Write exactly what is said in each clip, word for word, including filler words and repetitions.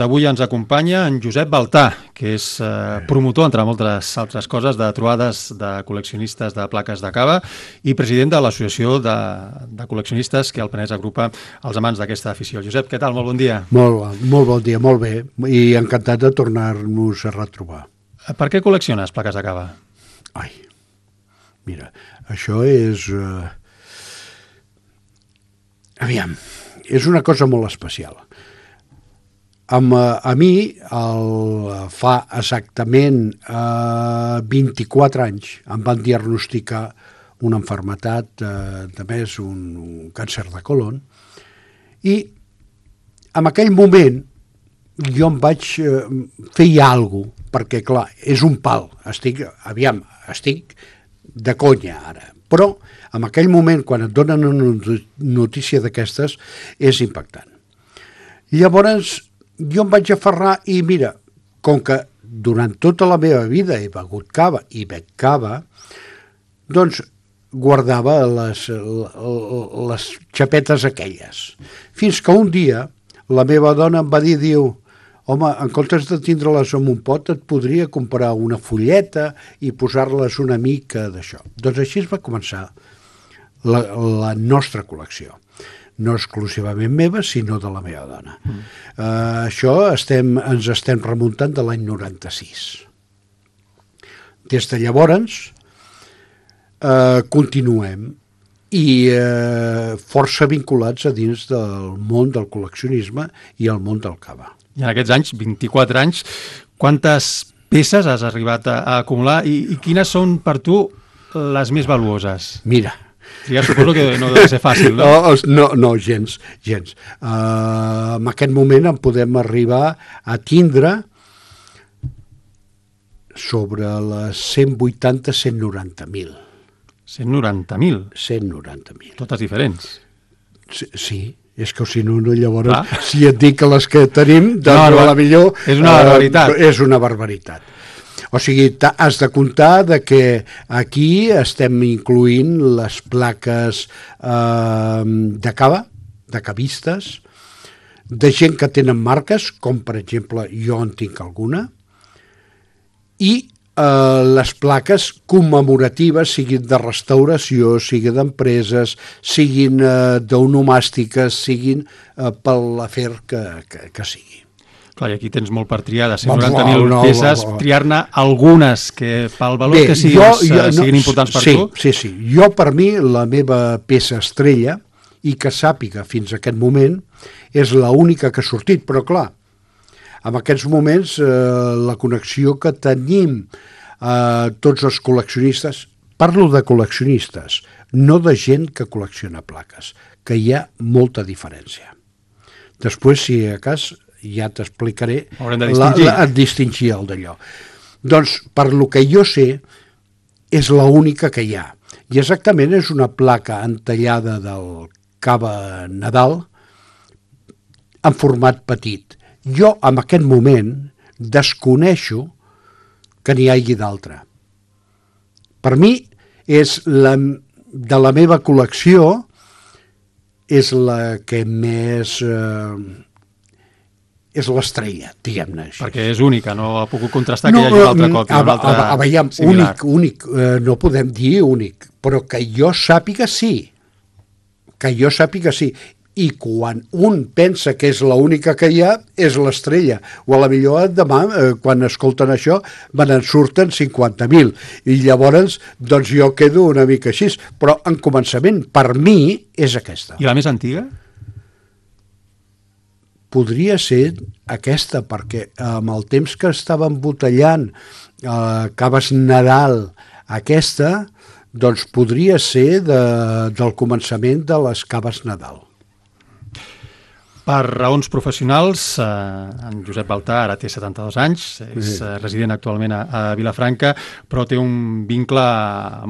Avui ens acompanya en Josep Baltà, que és eh, promotor, entre moltes altres coses, de trobades de col·leccionistes de plaques de cava i president de l'associació de, de col·leccionistes que el Penedès agrupa els amants d'aquesta afició. Josep, què tal? Molt bon dia. Molt, molt bon dia, molt bé, i encantat de tornar-nos a retrobar. Per què col·lecciones plaques de cava? Ai, mira, això és... Uh... Aviam, és una cosa molt especial. Amb, a mi, el, fa exactament eh, vint-i-quatre anys, em van diagnosticar una malaltia, eh, de més un, un càncer de colon, i en aquell moment jo em vaig eh, fer alguna cosa, perquè clar, és un pal, estic, aviam, estic de conya ara, però en aquell moment, quan et donen una notícia d'aquestes, és impactant. Llavors, jo em vaig aferrar i mira, com que durant tota la meva vida he begut cava i bec cava, doncs guardava les, les xapetes aquelles. Fins que un dia la meva dona em va dir, diu, home, en comptes de tindre-les en un pot, et podria comprar una fulleta i posar-les una mica d'això. Doncs així es va començar la, la nostra col·lecció. No exclusivament meva, sinó de la meva dona. Mm. Uh, això estem, ens estem remuntant de l'any noranta-sis. Des de llavors uh, continuem i uh, força vinculats a dins del món del col·leccionisme i el món del cava. I en aquests anys, vint-i-quatre anys, quantes peces has arribat a, a acumular i, i quines són per tu les més valuoses? Mira, ja suposo que no deu ser fàcil, no? No, no, no gens, gens. Uh, en aquest moment en podem arribar a tindre sobre les cent vuitanta a cent noranta mil. cent noranta mil? cent noranta mil. Totes diferents? Sí, sí, és que si no, no llavors, ah. si et dic que les que tenim, doncs no, a la millor... És una barbaritat. Uh, és una barbaritat. O sigui, has de comptar de que aquí estem incloent les plaques eh, de cava, de cavistes, de gent que tenen marques, com per exemple jo en tinc alguna, i eh, les plaques commemoratives, siguin de restauració, siguin d'empreses, siguin eh, d'onomàstiques, siguin eh, per l'afer que, que, que sigui. Clar, i aquí tens molt per triar, de cent noranta mil no, peces, no, no. triar-ne algunes que pel valor Bé, que siguin, jo, jo, no, siguin importants per sí, tu. Sí, sí. Jo, per mi, la meva peça estrella, i que sàpiga fins a aquest moment, és l'única que ha sortit. Però, clar, en aquests moments, eh, la connexió que tenim eh, tots els col·leccionistes, parlo de col·leccionistes, no de gent que col·lecciona plaques, que hi ha molta diferència. Després, si a cas... ja t'explicaré la, la, distingir el d'allò. Doncs, per lo que jo sé, és l'única que hi ha. I exactament és una placa entallada del cava Nadal en format petit. Jo, en aquest moment, desconeixo que n'hi hagi d'altra. Per mi, és la, de la meva col·lecció, és la que més... Eh, és l'estrella, diguem-ne així. Perquè és única, no ha pogut contrastar no, que hi hagi una altra còpia, a, una altra a, a, veiem, similar. Únic, únic, eh, no podem dir únic, però que jo sàpiga sí, que jo sàpiga sí, i quan un pensa que és l'única que hi ha, és l'estrella, o a la millor demà, eh, quan escolten això, me n'en surten cinquanta mil, i llavors, doncs jo quedo una mica així, però en començament, per mi, és aquesta. I la més antiga? Podria ser aquesta, perquè amb el temps que estava embotellant eh, caves Nadal aquesta, doncs podria ser de, del començament de les caves Nadal. Per raons professionals, eh, en Josep Baltà ara té setanta-dos anys, és sí. eh, resident actualment a, a Vilafranca, però té un vincle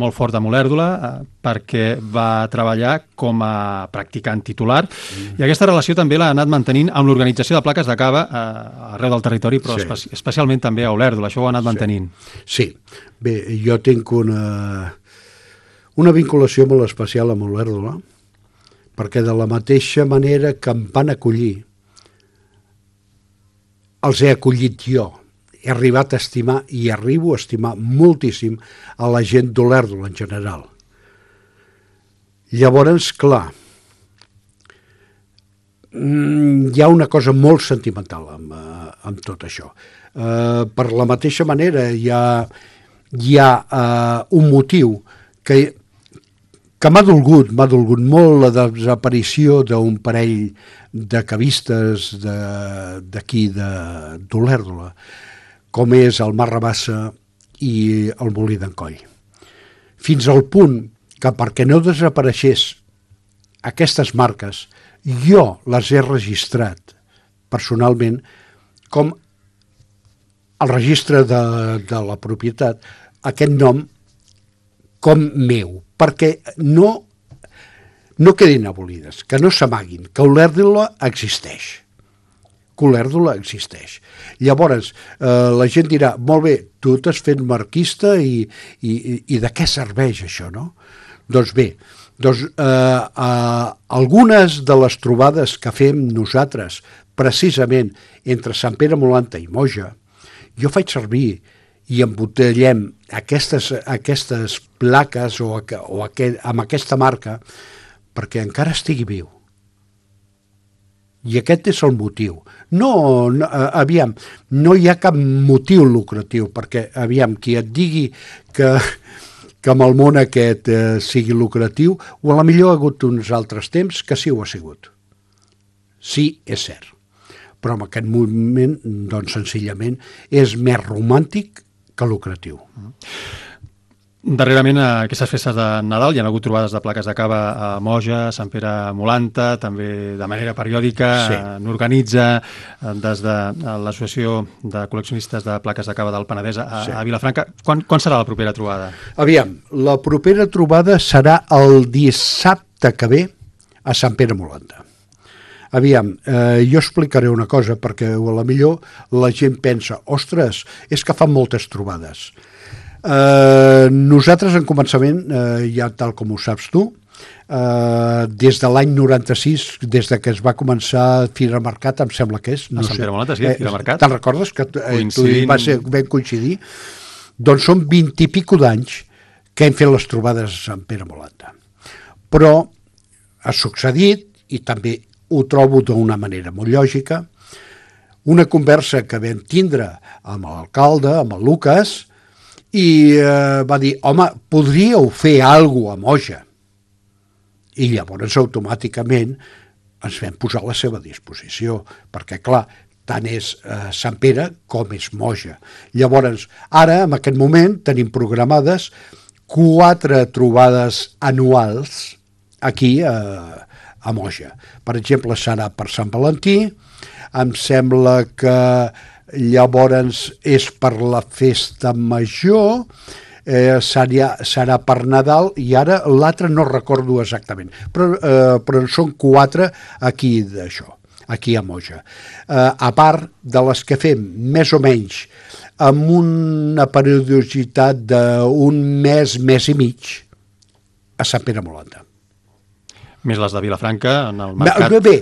molt fort amb Olèrdola eh, perquè va treballar com a practicant titular mm. i aquesta relació també l'ha anat mantenint amb l'organització de plaques de cava eh, arreu del territori, però sí. espe especialment també a Olèrdola, això ho ha anat mantenint. Sí, bé, jo tinc una, una vinculació molt especial amb Olèrdola, perquè de la mateixa manera que em van acollir els he acollit jo. He arribat a estimar i arribo a estimar moltíssim a la gent d'Olèrdola en general. Llavors, clar, hi ha una cosa molt sentimental amb, amb tot això. Uh, per la mateixa manera hi ha, hi ha uh, un motiu que, que m'ha dolgut, m'ha dolgut molt la desaparició d'un parell de cavistes d'aquí d'Olèrdola, com és el Mar Rabassa i el Molí d'en Coll. Fins al punt que perquè no desapareixés aquestes marques, jo les he registrat personalment com el registre de, de la propietat, aquest nom com meu, perquè no, no quedin abolides, que no s'amaguin, que Olèrdola existeix. Que Olèrdola existeix. Llavors, eh, la gent dirà, molt bé, tu t'has fet marquista i, i, i de què serveix això, no? Doncs bé, doncs, eh, eh, algunes de les trobades que fem nosaltres, precisament entre Sant Pere Molanta i Moja, jo faig servir i embotellem aquestes, aquestes plaques o, o aquest, amb aquesta marca perquè encara estigui viu. I aquest és el motiu. No, no, aviam, no hi ha cap motiu lucratiu, perquè, aviam, qui et digui que, que amb el món aquest eh, sigui lucratiu, o a la millor ha hagut uns altres temps que sí ho ha sigut. Sí, és cert. Però en aquest moment, doncs, senzillament, és més romàntic que lucratiu. Darrerament, a aquestes festes de Nadal hi ha hagut trobades de plaques de cava a Moja, Sant Pere Molanta, també de manera periòdica, sí. N'organitza des de l'Associació de Col·leccionistes de Plaques de Cava del Penedès a, sí. a Vilafranca. Quan, quan serà la propera trobada? Aviam, la propera trobada serà el dissabte que ve a Sant Pere Molanta. Aviam, eh, jo explicaré una cosa, perquè a la millor la gent pensa, ostres, és que fan moltes trobades. Uh, nosaltres en començament, uh, ja tal com ho saps tu, uh, des de l'any noranta-sis, des de que es va començar Fira Mercat, em sembla que és, no a Sant sé, Pere Molanta, sí, eh, Fira Mercat. Te'n recordes que eh, tu va ser ben coincidir? Doncs són vint i pico d'anys que hem fet les trobades a Sant Pere Molanta. Però ha succeït, i també ho trobo d'una manera molt lògica, una conversa que vam tindre amb l'alcalde, amb el Lucas, i eh, va dir, home, podríeu fer alguna cosa a Moja? I llavors automàticament ens vam posar a la seva disposició, perquè clar, tant és eh, Sant Pere com és Moja. Llavors, ara, en aquest moment, tenim programades quatre trobades anuals aquí eh, a Moja. Per exemple, serà per Sant Valentí, em sembla que llavors és per la festa major, eh, serà, serà per Nadal, i ara l'altre no recordo exactament, però, eh, però són quatre aquí d'això, aquí a Moja. Eh, a part de les que fem més o menys amb una periodicitat d'un mes, mes i mig a Sant Pere Molanta. Més les de Vilafranca, en el mercat. Bé, bé,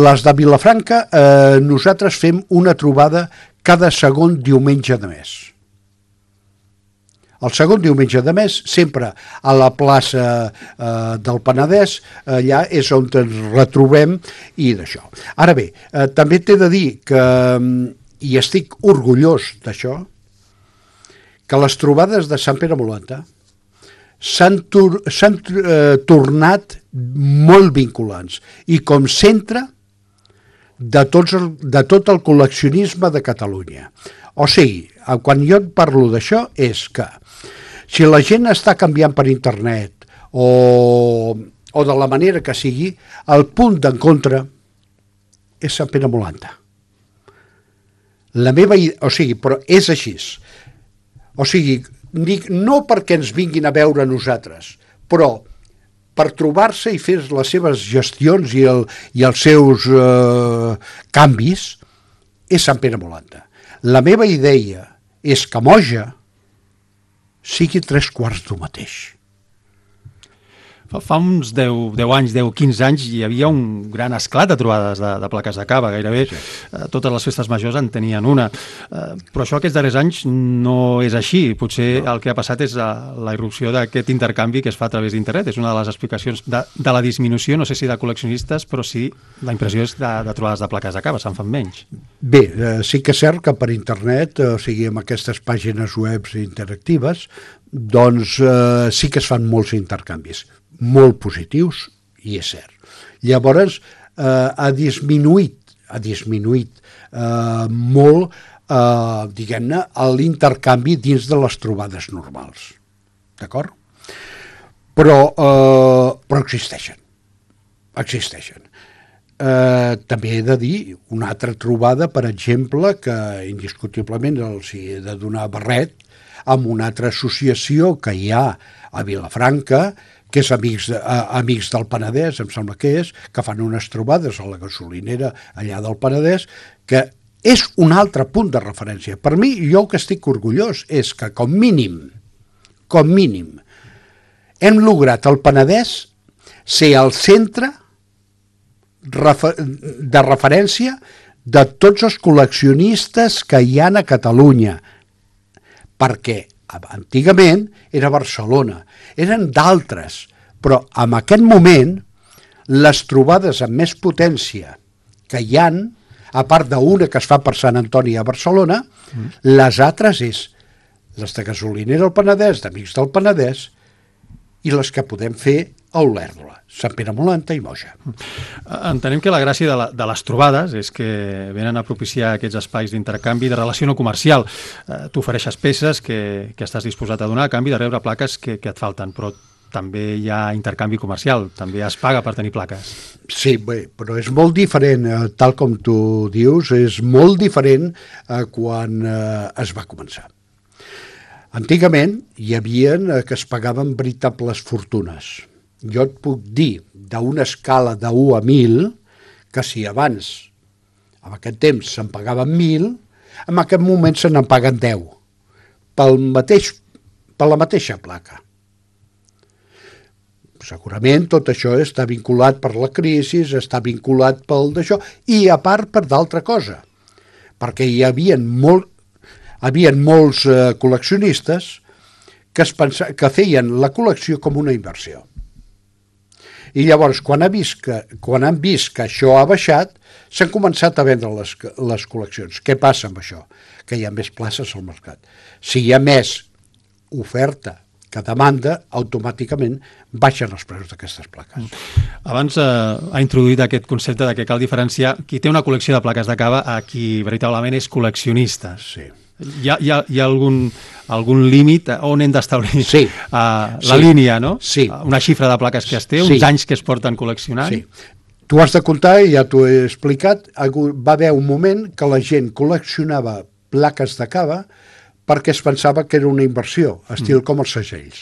les de Vilafranca, eh, nosaltres fem una trobada cada segon diumenge de mes. El segon diumenge de mes, sempre a la plaça eh, del Penedès, allà és on ens retrobem i d'això. Ara bé, eh, també t'he de dir que, i estic orgullós d'això, que les trobades de Sant Pere Molanta s'han tor eh, tornat molt vinculants i com centre de, tots el, de tot el col·leccionisme de Catalunya. O sigui, quan jo et parlo d'això és que si la gent està canviant per internet o, o de la manera que sigui, el punt d'encontre és Sant Pere Molanta. La meva idea, o sigui, però és així. O sigui, no perquè ens vinguin a veure nosaltres, però per trobar-se i fer les seves gestions i, el, i els seus eh, canvis, és Sant Pere Molanta. La meva idea és que Moja sigui tres quarts d'un mateix. Fa, fa uns deu, deu anys, deu, quinze anys, hi havia un gran esclat de trobades de, de plaques de cava, gairebé sí. eh, totes les festes majors en tenien una. Eh, però això aquests darrers anys no és així. Potser no. El que ha passat és la, la irrupció d'aquest intercanvi que es fa a través d'internet. És una de les explicacions de, de la disminució, no sé si de col·leccionistes, però sí, la impressió és de, de trobades de plaques de cava, se'n fan menys. Bé, eh, sí que és cert que per internet, o sigui, amb aquestes pàgines web interactives, doncs eh, sí que es fan molts intercanvis, molt positius, i és cert. Llavors, eh, ha disminuït, ha disminuït eh, molt, eh, diguem-ne, l'intercanvi dins de les trobades normals. D'acord? Però, eh, però existeixen. Existeixen. Eh, també he de dir una altra trobada, per exemple, que indiscutiblement els he de donar barret, amb una altra associació que hi ha a Vilafranca, que és Amics, de, uh, Amics del Penedès, em sembla que és, que fan unes trobades a la gasolinera allà del Penedès, que és un altre punt de referència. Per mi, jo el que estic orgullós és que, com mínim, com mínim, hem lograt al Penedès ser el centre de referència de tots els col·leccionistes que hi ha a Catalunya, perquè antigament era Barcelona, eren d'altres, però en aquest moment les trobades amb més potència que hi han, a part d'una que es fa per Sant Antoni a Barcelona, mm. les altres és les de Gasolinera al Penedès, d'Amics del Penedès, i les que podem fer a Olèrdola, Sant Pere Molanta i Moja. Entenem que la gràcia de, la, de les trobades és que venen a propiciar aquests espais d'intercanvi de relació no comercial. Eh, tu ofereixes peces que, que estàs disposat a donar a canvi de rebre plaques que, que et falten, però també hi ha intercanvi comercial, també es paga per tenir plaques. Sí, bé, però és molt diferent, eh, tal com tu dius, és molt diferent eh, quan eh, es va començar. Antigament hi havia eh, que es pagaven veritables fortunes. Jo et puc dir, d'una escala de u a mil, que si abans, en aquest temps, se'n pagaven mil, en aquest moment se n'en paguen deu, pel mateix, per la mateixa placa. Segurament tot això està vinculat per la crisi, està vinculat pel d'això, i a part per d'altra cosa, perquè hi havia molt, havia molts eh, col·leccionistes que, es pensa, que feien la col·lecció com una inversió. I llavors, quan, ha vist que, quan han vist que això ha baixat, s'han començat a vendre les, les col·leccions. Què passa amb això? Que hi ha més places al mercat. Si hi ha més oferta que demanda, automàticament baixen els preus d'aquestes plaques. Abans eh, ha introduït aquest concepte de que cal diferenciar qui té una col·lecció de plaques de cava a qui veritablement és col·leccionista. Sí. Hi ha, hi ha, hi ha algun, algun límit on hem d'establir sí. uh, la sí. línia, no? Sí. Una xifra de plaques que es té, uns sí. anys que es porten col·leccionant. Sí. Tu has de comptar, i ja t'ho he explicat, va haver un moment que la gent col·leccionava plaques de cava perquè es pensava que era una inversió, estil mm. com els segells.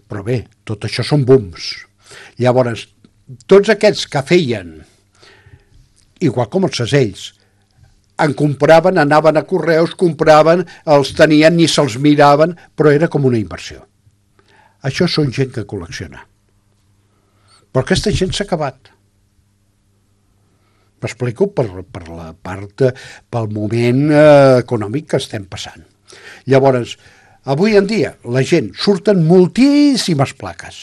Però bé, tot això són booms. Llavors, tots aquests que feien, igual com els segells, en compraven, anaven a correus, compraven, els tenien, ni se'ls miraven, però era com una inversió. Això són gent que col·lecciona. Però aquesta gent s'ha acabat. M'explico per, per la part, pel moment eh, econòmic que estem passant. Llavors, avui en dia, la gent, surten moltíssimes plaques.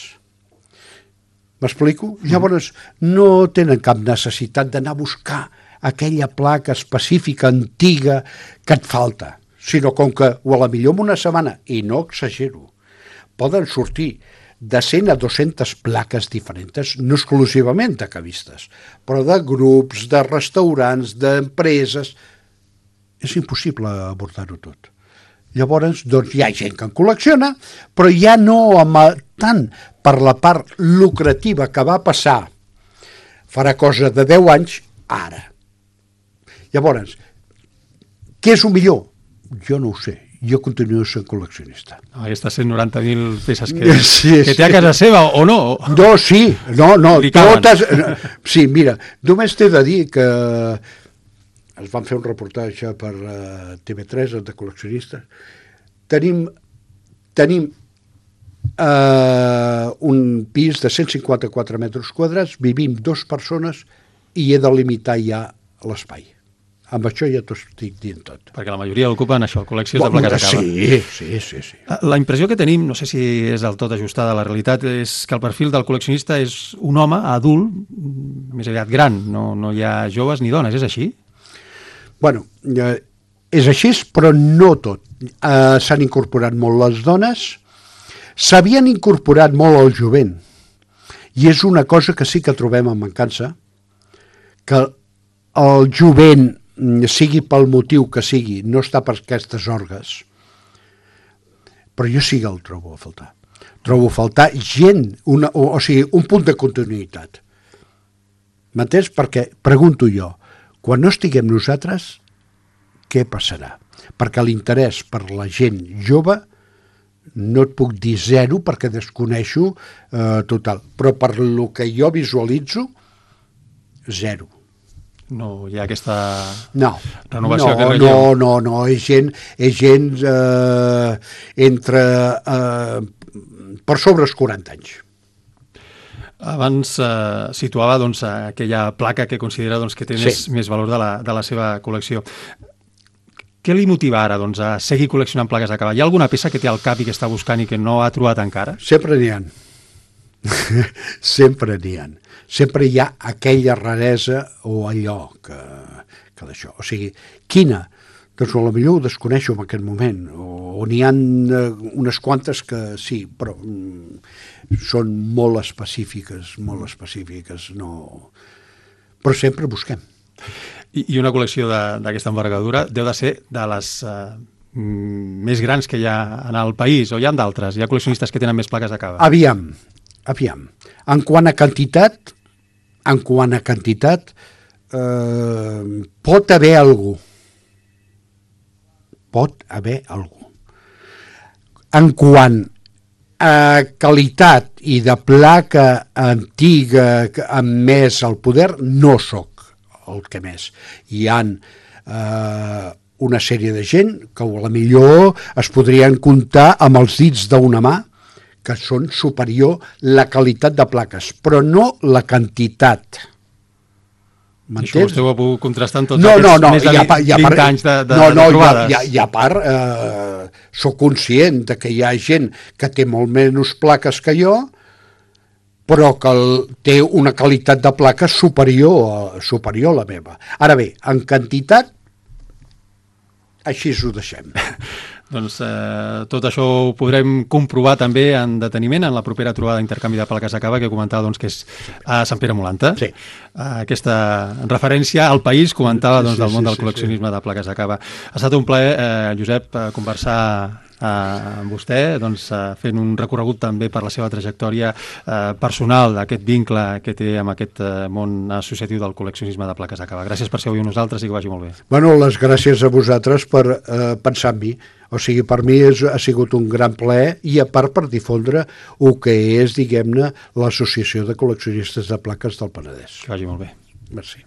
M'explico? Llavors, no tenen cap necessitat d'anar a buscar aquella placa específica, antiga, que et falta, sinó com que, o a la millor en una setmana, i no exagero, poden sortir de cent a dues-centes plaques diferents, no exclusivament de cavistes, però de grups, de restaurants, d'empreses. És impossible abordar-ho tot. Llavors, doncs, hi ha gent que en col·lecciona, però ja no amb, tant per la part lucrativa que va passar farà cosa de deu anys, ara. Llavors, què és el millor? Jo no ho sé. Jo continuo sent col·leccionista. Ah, aquestes cent noranta mil peces que, sí, que sí. té a casa seva, o no? No, sí. No, no, totes... Sí, mira, només t'he de dir que es van fer un reportatge per uh, T V tres de col·leccionistes. Tenim, tenim eh, un pis de cent cinquanta-quatre metres quadrats, vivim dues persones i he de limitar ja l'espai. Amb això ja t'ho estic dient tot. Perquè la majoria ocupen això, col·leccions de plaques a cava. Sí, sí, sí, sí. La impressió que tenim, no sé si és del tot ajustada a la realitat, és que el perfil del col·leccionista és un home adult, més aviat gran, no, no hi ha joves ni dones, és així? Bueno, eh, és així, però no tot. Eh, S'han incorporat molt les dones, s'havien incorporat molt el jovent, i és una cosa que sí que trobem en mancança, que el jovent, sigui pel motiu que sigui, no està per aquestes orgues, però jo sí que el trobo a faltar. Trobo a faltar gent, una, o, o sigui, un punt de continuïtat. M'entens? Perquè, pregunto jo, quan no estiguem nosaltres, què passarà? Perquè l'interès per la gent jove no et puc dir zero perquè desconeixo eh, total, però per lo que jo visualitzo, zero. No hi ha aquesta no, renovació, no, aquest relleu? No, no, no, és gent, és gent eh, entre, eh, per sobre els quaranta anys. Abans eh, situava doncs, aquella placa que considera doncs, que té sí. més, més valor de la, de la seva col·lecció. Què li motiva ara doncs, a seguir col·leccionant plaques a cava? Hi ha alguna peça que té al cap i que està buscant i que no ha trobat encara? Sempre n'hi ha. Sempre n'hi ha. Sempre hi ha aquella raresa o allò que, que d'això. O sigui, quina? Doncs potser ho desconeixo en aquest moment. O, o n'hi ha unes quantes que sí, però mm, són molt específiques, molt específiques. No... Però sempre busquem. I, i una col·lecció d'aquesta envergadura deu de ser de les eh, més grans que hi ha en el país, o hi ha d'altres? Hi ha col·leccionistes que tenen més plaques a cava? Aviam, aviam. En quant a quantitat, en quant a quantitat, eh, pot haver algú. Pot haver algú. En quant a qualitat i de placa antiga amb més al poder, no sóc el que més. Hi ha eh, una sèrie de gent que a la millor es podrien comptar amb els dits d'una mà, que són superior la qualitat de plaques, però no la quantitat. M'entens? Això vostè ho ha pogut contrastar en tots no, aquests no, no, més de vint anys de, de, no, no, de trobades. No, i a part, eh, soc conscient de que hi ha gent que té molt menys plaques que jo, però que el, té una qualitat de plaques superior, superior a la meva. Ara bé, en quantitat, així ho deixem. Doncs eh, tot això ho podrem comprovar també en deteniment en la propera trobada d'intercanvi de plaques a cava que comentava doncs, que és a Sant Pere Molanta. Sí. Aquesta referència al país comentava doncs, del món sí, sí, del col·leccionisme sí, sí. de plaques a cava. Ha estat un plaer, eh, Josep, conversar eh, amb vostè, doncs, eh, fent un recorregut també per la seva trajectòria eh, personal, d'aquest vincle que té amb aquest eh, món associatiu del col·leccionisme de plaques a cava. Gràcies per ser avui amb nosaltres i que vagi molt bé. Bueno, les gràcies a vosaltres per eh, pensar en mi. O sigui, per mi és, ha sigut un gran plaer i a part per difondre el que és, diguem-ne, l'Associació de Col·leccionistes de Plaques del Penedès. Que vagi molt bé. Merci.